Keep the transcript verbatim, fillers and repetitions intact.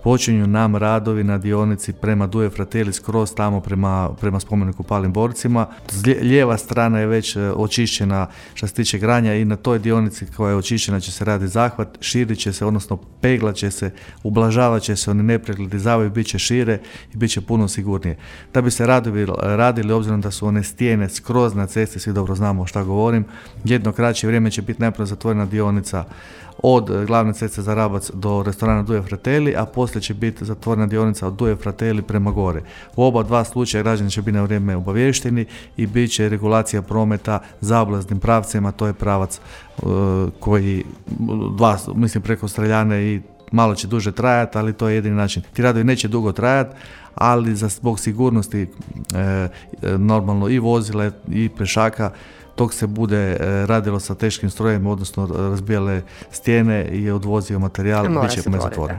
počinju nam radovi na dionici prema Due Fratelli skroz tamo prema, prema spomeniku Palim borcima. Lijeva strana je već očišćena što se tiče granja i na toj dionici koja je očišćena će se raditi zahvat, širit će se, odnosno peglat će se, ublažavat će se, oni nepregledi zavoji bit će šire i bit će puno sigurnije. Da bi se radovi radili, obzirom da su one stijene skroz na cesti, svi dobro znamo šta govorim, jedno kraće vrijeme će biti najprije zatvorena dionica od glavne ceste za Rabac do restorana Due Fratelli, a poslije će biti zatvorena dionica od Due Fratelli prema gore. U oba dva slučaja građani će biti na vrijeme obavješteni i bit će regulacija prometa zaobilaznim pravcima, to je pravac uh, koji, dva, mislim preko Streljane i malo će duže trajati, ali to je jedini način. Ti radovi neće dugo trajati, ali za zbog sigurnosti e, normalno i vozila i pešaka dok se bude radilo sa teškim strojem, odnosno razbijale stijene i odvozio materijal, bit će zatvoren.